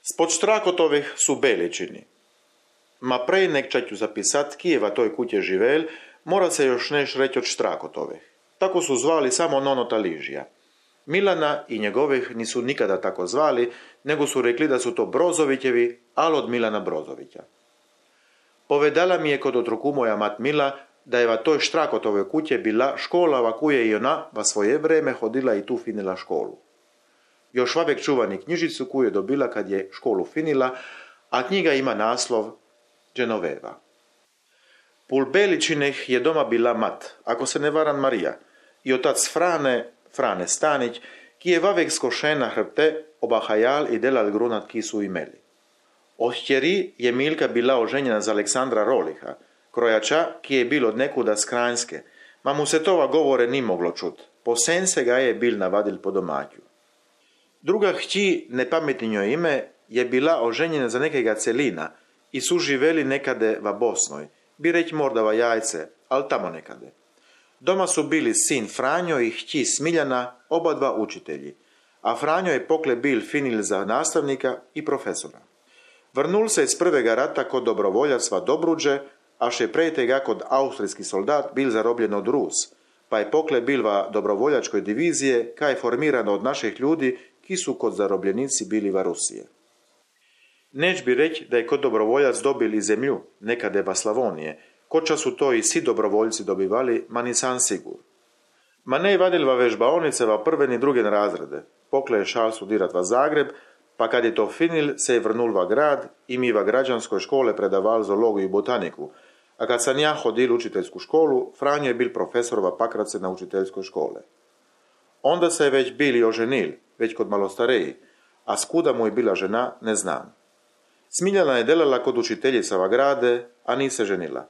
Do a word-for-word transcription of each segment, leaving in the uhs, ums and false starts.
Spod Štrakotovih su Beličini. Ma prej nek ću zapisat Kijeva toj kutje živel, mora se još neš reći od Štrakotovih. Tako su zvali samo nonota Ližija. Milana i njegovih nisu nikada tako zvali, nego su rekli da su to Brozovićevi, ali od Milana Brozovića. Povedala mi je kod otruku moja mat Mila, da je va toj Štrakotove kutje bila škola va kuje i ona va svoje vreme hodila i tu finila školu. Još vavek čuvani knjižicu koju je dobila kad je školu finila, a knjiga ima naslov Genoveva. Pul Beličineh je doma bila mat, ako se ne varam Marija, i otac Frane, Frane Stanić, ki je vavek skošena hrbte, obahajal i delal grunat ki su imeli. Od htjeri je Milka bila oženjena za Aleksandra Roliha, krojača ki je bil od nekuda z Kranjske, ma mu se tova govore ni moglo čut, posen se ga je bil navadil po domaću. Druga hći, nepametninjo ime, je bila oženjena za nekega Celina i su živeli nekade va Bosnoj, bi reć morda va Jajce, al tamo nekade. Doma su bili sin Franjo i hći Smiljana, oba dva učitelji, a Franjo je pokle bil finil za nastavnika i profesora. Vrnul se iz prvega rata kod dobrovoljac va Dobruđe, a še prej tega kod austrijski soldat bil zarobljen od Rus, pa je pokle bil va dobrovoljačkoj divizije, kaj je formirano od naših ljudi, ki su kod zarobljenici bili va Rusije. Neć bi reć da je kod dobrovoljac dobil i zemlju, nekade va Slavonije, koča su to i svi dobrovoljci dobivali, ma nisam sigur. Ma ne vadil va vežbaonice va prve ni druge razrede, pokle je šal studirat va Zagreb, pa kad je to finil, se je vrnul va grad i mi va građanskoj škole predaval zoologiju i botaniku, a kad sam ja hodil u učiteljsku školu, Franjo je bil profesor va Pakrace na učiteljskoj škole. Onda se je već bili oženil, već kod malostareji, a skuda mu je bila žena, ne znam. Smiljana je delala kod učiteljica va grade, a ni se ženila.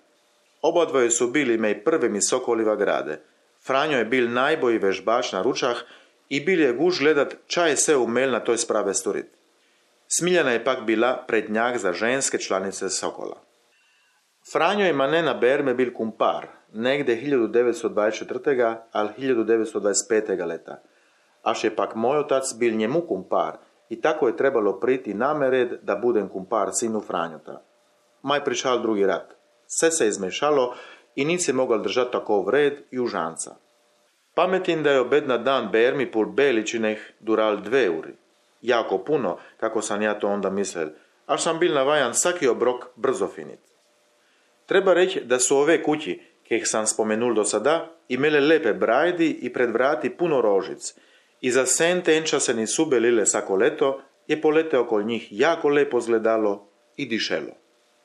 Oba dvoje su bili mej prve mi sokoli va grade. Franjo je bil najbolji vežbač na ručah i bil je guž gledat ča je se umel na toj sprave storit. Smiljana je pak bila prednjak za ženske članice Sokola. Franjo je mane na berme bil kumpar, negde hiljadu devetsto dvadeset četvrtega ali hiljadu devetsto dvadeset petega leta. Aš je pak moj otac bil njemu kumpar i tako je trebalo priti name red da budem kumpar sinu Franjota. Maj prišal drugi rat. Sve se izmešalo i nic je mogal držati takov red i užanca. Pametim da je obed na dan bermi pul Beličineh dural dve uri. Jako puno, kako sam ja to onda mislil, až sam bil navajan svaki obrok brzo finit. Treba reći da su ove kući, keh sam spomenul do sada, imele lepe brajdi i pred vrati puno rožic. I za sen tenča se nisu belile svako leto, je polete okol njih jako lepo zgledalo i dišelo.